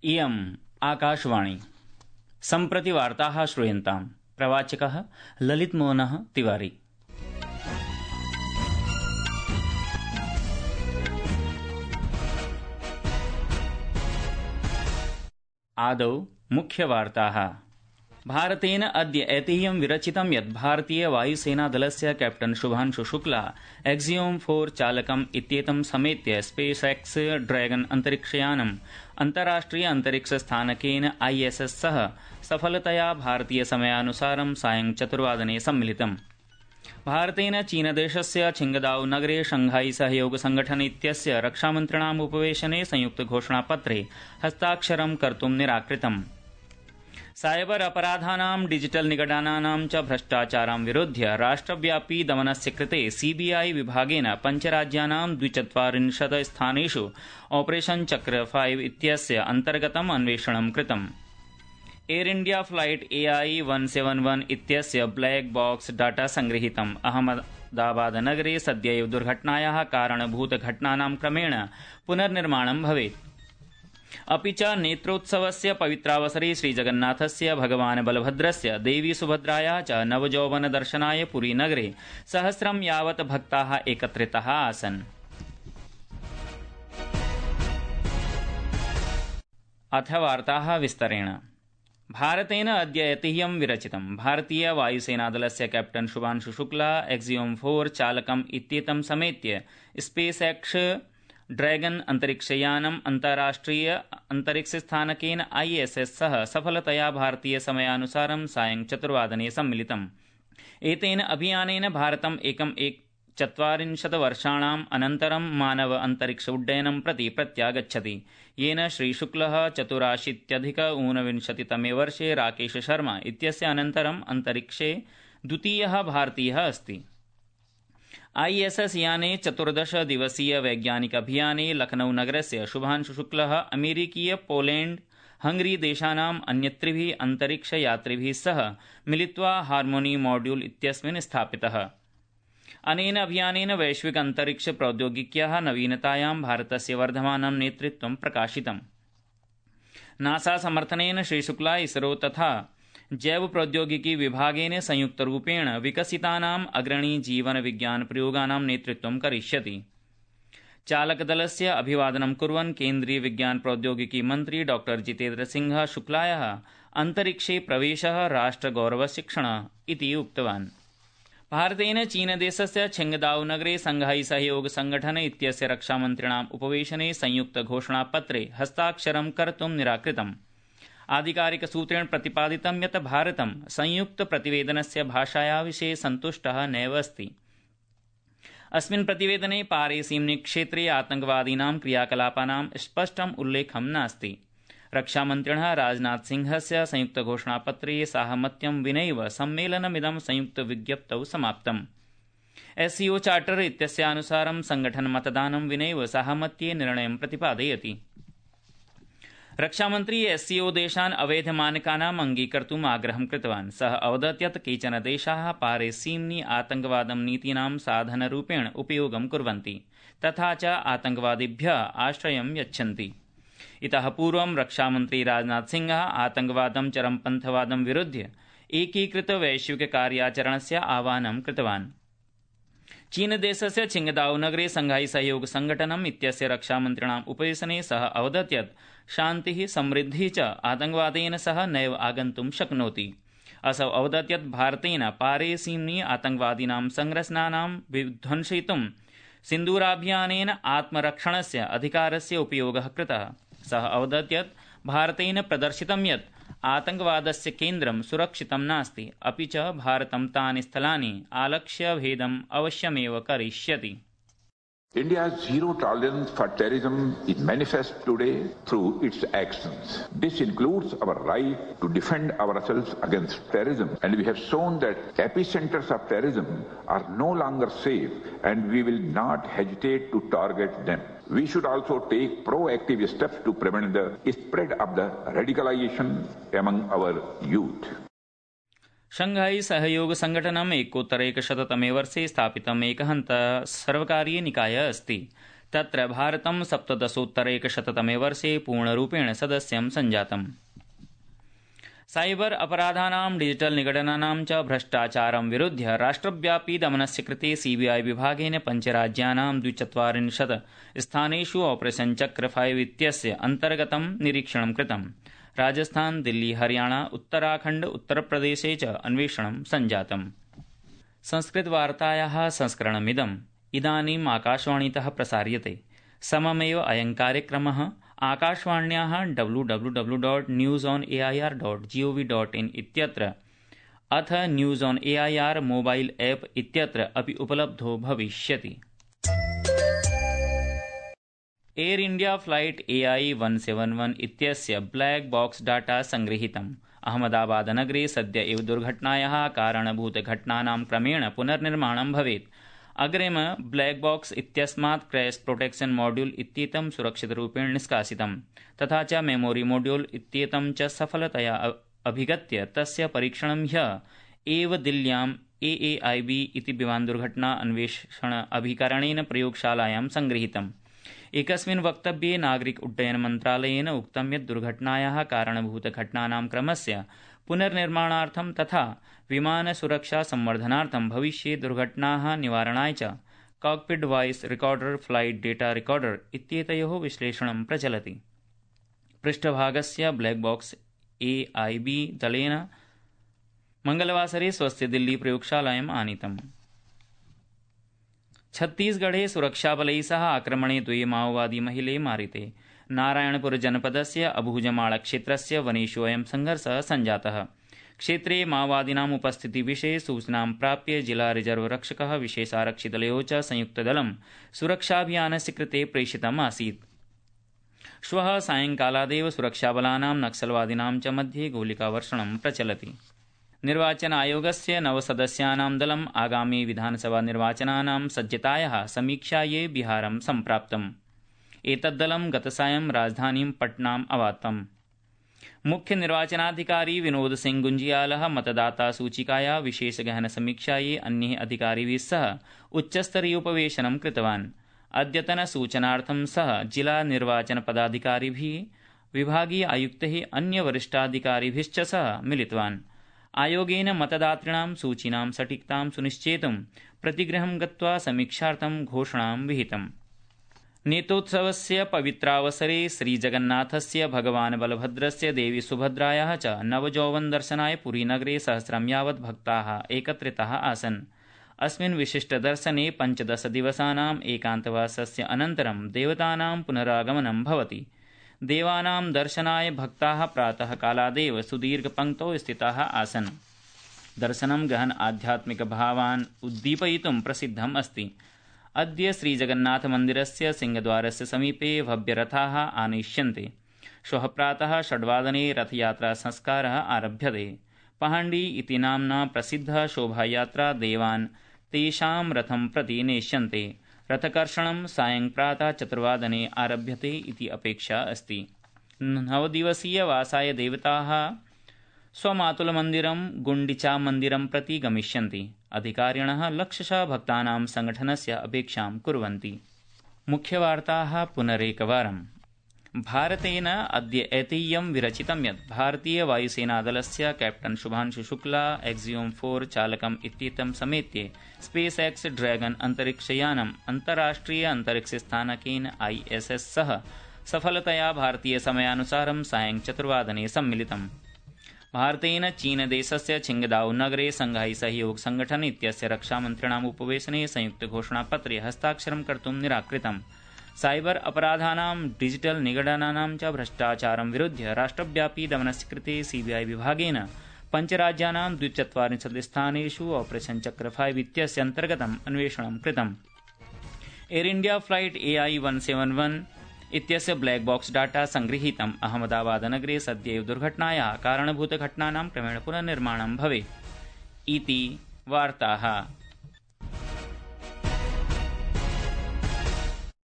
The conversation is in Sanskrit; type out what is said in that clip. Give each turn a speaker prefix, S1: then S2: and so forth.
S1: इयम् आकाशवाणी। सम्प्रति वार्ताः श्रूयन्ताम्। प्रवाचकः ललितमोहनः तिवारी। आदौ मुख्यवार्ताः। भारतेन अद्य ऐतिह्यं विरचितं यत् भारतीय वायुसेनादलस्य कैप्टन शुभांशु शुक्ला एक्सियोम 4 चालकम् इत्येतं समेत्य स्पेस एक्स ड्रैगन अन्तरिक्षयानम् अन्ताराष्ट्रिय अन्तरिक्षस्थानकेन ISS सह सफलतया भारतीय समयानुसारं सायं 4 सम्मिलितम्। भारतेन चीनदेशस्य छिंगदाओ नगरे शंघाई सहयोग संगठन इत्यस्य रक्षामन्त्रिणाम् उपवेशने संयुक्तघोषणापत्रे हस्ताक्षरं कर्तुं निराकृतम्। साइबर अपराधानां डिजिटल निगडनानां च भ्रष्टाचारां विरुध्य राष्ट्रव्यापी दमनस्य कृते CBI विभागेन 5 राज्यानां 240 स्थानेषु ऑपरेशन चक्र 5 इत्यस्य अन्तर्गतम् अन्वेषणं कृतम्। एयर इंडिया फ्लाइट AI-171 इत्यस्य ब्लैक बॉक्स डाटा संगृहीतम्। अहमदाबाद नगरे सद्यैव दुर्घटनायाः कारणभूत घटनानां क्रमेण पुनर्निर्माणं भवेत्। अपि च नेत्रोत्सवस्य पवित्रावसरे श्रीजगन्नाथस्य भगवान् बलभद्रस्य देवी सुभद्रायाः च नवजौवन दर्शनाय पुरी नगरे सहस्रं यावत् भक्ताः एकत्रिताः आसन्। अथ वार्ताः विस्तरेण। भारतेन अद्य ऐतिह्यं विरचितं। भारतीय वायुसेनादलस्य कैप्टन शुभांशु शुक्ला एक्सियोम 4 चालकम् इत्येतं समेत्य स्पेस एक्स ड्रैगन अन्तरिक्षयानम् अन्ताराष्ट्रिय अन्तरिक्षस्थानकेन ISS सह सफलतया भारतीय समयानुसारं सायं 4 सम्मिलितम्। एतेन अभियानेन भारतम् 40 वर्षाणाम् अनन्तरं मानव अन्तरिक्ष उड्डयनं प्रति प्रत्यागच्छति, येन श्रीशुक्लः 84 तमे वर्षे राकेश शर्मा इत्यस्य अनन्तरम् अन्तरिक्षे द्वितीयः भारतीयः अस्ति। ISS याने 14 दिवसीय वैज्ञानिक अभियाने लखनऊ नगरस्य शुभांशु शुक्लः अमेरिकीय पोलैंड हंगरी देशानाम् अन्यत्रिभिः अन्तरिक्ष यात्रिभिः सह मिलित्वा हार्मोनी मॉड्यूल इत्यस्मिन् स्थापितः। अनेन अभियानेन वैश्विक अन्तरिक्ष प्रौद्योगिक्याः नवीनतायां भारतस्य वर्धमानं नेतृत्वं प्रकाशितम्। नासा समर्थनेन श्रीशुक्ला इसरो तथा जैव प्रौद्योगिकी विभागेन संयुक्तरूपेण विकसितानाम् अग्रणी जीवन विज्ञान प्रयोगानां नेतृत्वं करिष्यति। चालकदलस्य अभिवादनं कुर्वन् केन्द्रीय विज्ञान प्रौद्योगिकी मन्त्री डॉ जितेन्द्र सिंह शुक्लायाः अन्तरिक्षे प्रवेशः राष्ट्रगौरवस्य क्षणः इति उक्तवान्। भारतेन चीनदेशस्य छिंगदाओ नगरे शंघाई सहयोग संगठन इत्यस्य रक्षामन्त्रिणाम् उपवेशने संयुक्तघोषणापत्रे हस्ताक्षरं कर्तुं निराकृतम्। आधिकारिकसूत्रेण प्रतिपादितं यत् भारतं संयुक्तप्रतिवेदनस्य भाषाया विषये सन्तुष्टः नैव अस्ति। अस्मिन् प्रतिवेदने पारेसीम्नि क्षेत्रे आतंकवादीनां क्रियाकलापानां स्पष्टम् उल्लेखं नास्ति। रक्षामन्त्रिणः राजनाथ सिंहस्य संयुक्तघोषणापत्रे साहमत्यं विनैव सम्मेलनमिदं संयुक्तविज्ञप्तौ समाप्तम्। SCO चार्टर इत्यस्यानुसारं संगठनमतदानं विनैव साहमत्ये निर्णयं प्रतिपादयति। रक्षामन्त्री SCO देशान् अवैधमानकानाम् अङ्गीकर्तुम् आग्रहं कृतवान्। सः अवदत् यत् केचन देशाः पारेसीम्नि आतंकवादं नीतीनां साधनरूपेण उपयोगं कुर्वन्ति तथा च आतंकवादिभ्यः आश्रयं यच्छन्ति। इतः पूर्वं रक्षामन्त्री राजनाथ सिंहः आतंकवादं चरमपन्थवादं विरुध्य एकीकृत वैश्विक कार्याचरणस्य आह्वानं कृतवान्। चीनदेशस्य छिंगदाओ नगरे शंघाई सहयोग संगठनम् इत्यस्य रक्षामन्त्रिणाम् उपवेशने सः अवदत् यत् शान्तिः समृद्धिः च आतंकवादेन सह नैव आगन्तुं शक्नोति। असौ अवदत् यत् भारतेन पारेसीम्नि आतंकवादीनां संरचनानां विध्वंसयितुं सिन्दूराभियानेन आत्मरक्षणस्य अधिकारस्य उपयोगः कृतः। सः अवदत् यत् भारतेन प्रदर्शितं यत् आतंकवादस्य केन्द्रं सुरक्षितं नास्ति, अपि च भारतं तानि स्थलानि आलक्ष्य भेदम् अवश्यमेव करिष्यति।
S2: India's zero tolerance for terrorism is manifest today through its actions. This includes our right to defend ourselves against terrorism, and we have shown that epicenters of terrorism are no longer safe, and we will not hesitate to target them. We should also take proactive steps to prevent the spread of the radicalization among our youth.
S1: Shanghai सहयोग संगठनम् 1991 तमे वर्षे स्थापितम् एकः सर्वकारीय निकायः अस्ति। तत्र भारतं 17-उत्तरैकशततमे वर्षे पूर्णरूपेण सदस्यं सञ्जातम्। साइबर अपराधानां डिजिटल निगडनानां च भ्रष्टाचारं विरुध्य राष्ट्रव्यापी दमनस्य कृते सीबीआई विभागेन पञ्चराज्यानां 240 स्थानेषु ऑपरेशन चक्र 5 इत्यस्य अन्तर्गतं निरीक्षणं कृतम्। राजस्थान, दिल्ली, हरियाणा, उत्तराखण्ड, उत्तरप्रदेशे च अन्वेषणं सञ्जातम्। संस्कृतवार्तायाः संस्करणमिदम् इदानीम् आकाशवाणीतः प्रसार्यते। सममेव अयं कार्यक्रमः आकाशवाण्याः www.newsonair.gov.in इत्यत्र अथ news on AIR mobile app इत्यत्र अपि उपलब्धो भविष्यति। एयर इंडिया फ्लाइट AI-171 इत्यस्य ब्लैक बॉक्स डाटा संगृहीतम्। अहमदाबादनगरे सद्य एव दुर्घटनायाः कारणभूतघटनानां क्रमेण पुनर्निर्माणं भवेत्। अग्रिम ब्लैक बॉक्स इत्यस्मात् क्रैश प्रोटेक्शन मॉड्यूल इत्येतं सुरक्षितरूपेण निष्कासितम्, तथा च मेमोरी मॉड्यूल इत्येतं च सफलतया अभिगत्य तस्य परीक्षणं ह्यः एव दिल्ल्याम् AAIB इति विमानदुर्घटना अन्वेषण अभिकरणेन प्रयोगशालायां संगृहीतम्। एकस्मिन् वक्तव्ये नागरिक उड्डयन मन्त्रालयेन उक्तं यत् दुर्घटनायाः कारणभूतघटनानां क्रमस्य पुनर्निर्माणार्थं तथा विमानसुरक्षा संवर्धनार्थं भविष्ये दुर्घटनाः निवारणाय च cockpit voice recorder, flight data recorder इत्येतयोः विश्लेषणं प्रचलति। पृष्ठभागस्य ब्लैक बॉक्स AIB दलेन मंगलवासरे स्वस्य दिल्ली प्रयोगशालायाम् आनीतम्। छत्तीसगढ़े सुरक्षाबलैः सह आक्रमणे 2 माओवादी महिले मारिते। नारायणपुर जनपदस्य अबूजमाड़-क्षेत्रस्य वनेषु अयं संघर्षः सञ्जातः। क्षेत्रे माओवादिनाम् उपस्थितिविषये सूचनां प्राप्य जिला रिजर्व रक्षकः विशेषारक्षिदलयोः च संयुक्तदलं सुरक्षाभियानस्य कृते प्रेषितम् आसीत्। श्वः सायंकालादेव सुरक्षाबलानां नक्सलवादिनां च मध्ये गोलिकावर्षणं प्रचलति। निर्वाचन आयोगस्य 9 सदस्यानां दलम् आगामी विधानसभा निर्वाचनानां सज्जतायाः समीक्षायै बिहारं सम्प्राप्तम्। एतद्दलं गतसायं राजधानीं पटनाम् अवातम्। मुख्य निर्वाचनाधिकारी विनोद सिंह गुंजियालः मतदाता सूचिकाया विशेष गहन समीक्षायै अन्यैः अधिकारिभिः सह उच्चस्तरीयोपवेशनं कृतवान्। अद्यतन सूचनार्थं सह जिला निर्वाचन पदाधिकारिभिः, विभागीय आयुक्तैः, अन्य वरिष्ठाधिकारिभिश्च सह मिलितवान्। आयोगेन मतदातॄणां सूचीनां सटीकतां सुनिश्चेतुं प्रतिगृहं गत्वा समीक्षार्थं घोषणां विहितम्। नेत्रोत्सवस्य पवित्रावसरे श्रीजगन्नाथस्य भगवान् बलभद्रस्य देवी सुभद्रायाः च नवयौवनदर्शनाय पुरीनगरे सहस्रं यावत् भक्ताः एकत्रिताः आसन्। अस्मिन् विशिष्टदर्शने 15 दिवसानाम् एकान्तवासस्य अनन्तरं देवतानां पुनरागमनं भवति। देवानां दर्शनाय भक्ताः प्रातः कालादेव सुदीर्घपङ्क्तौ स्थिताः आसन्। दर्शनं गहन आध्यात्मिकभावान् उद्दीपयितुं प्रसिद्धम् अस्ति। अद्य श्रीजगन्नाथमन्दिरस्य सिंहद्वारस्य समीपे भव्यरथाः आनयिष्यन्ते। श्वः प्रातः 6 वादने रथयात्रा संस्कारः आरभ्यते। पहाण्डी इति नाम्ना प्रसिद्धा शोभायात्रा देवान् तेषां रथं प्रति नेष्यन्ते। रथकर्षणं सायं प्रातः 4 वादने आरभ्यते इति अपेक्षा अस्ति। 9 दिवसीयवासाय देवताः स्वमातुलमन्दिरं गुण्डिचामन्दिरं प्रति गमिष्यन्ति। अधिकारिणः लक्षशः भक्तानां संगठनस्य अपेक्षां कुर्वन्ति। मुख्यवार्ताः पुनरेकवारम्। भारतेन अद्य ऐतिह्यं विरचितं यत् भारतीय वायुसेनादलस्य कैप्टन शुभांशु शुक्ला एक्सियोम 4 चालकम् इत्येतं समेत्य स्पेस एक्स ड्रैगन अन्तरिक्षयानम् अन्तर्राष्ट्रिय अन्तरिक्षस्थानकेन ISS सह सफलतया भारतीय समयानुसारं सायं 4 वादने सम्मिलितम्। भारतेन चीनदेशस्य छिंगदाओ नगरे शंघाई सहयोग संगठन इत्यस्य रक्षामन्त्रिणाम् उपवेशने संयुक्तघोषणापत्रे हस्ताक्षरं कर्तुं निराकृतम्। साइबर अपराधानां डिजिटल निगडनानां च भ्रष्टाचारं विरुध्य राष्ट्रव्यापी दमनस्य कृते CBI विभागेन पञ्चराज्यानां 240 स्थानेषु ऑपरेशन चक्र 5 इत्यस्य अन्तर्गतम् अन्वेषणं कृतम्। एयर इंडिया फ्लाइट AI-171 इत्यस्य ब्लैक बॉक्स डाटा संगृहीतम्। अहमदाबादनगरे सद्यैव दुर्घटनायाः कारणभूतघटनानां क्रमेण पुनर्निर्माणं भवेत् इति वार्ताः।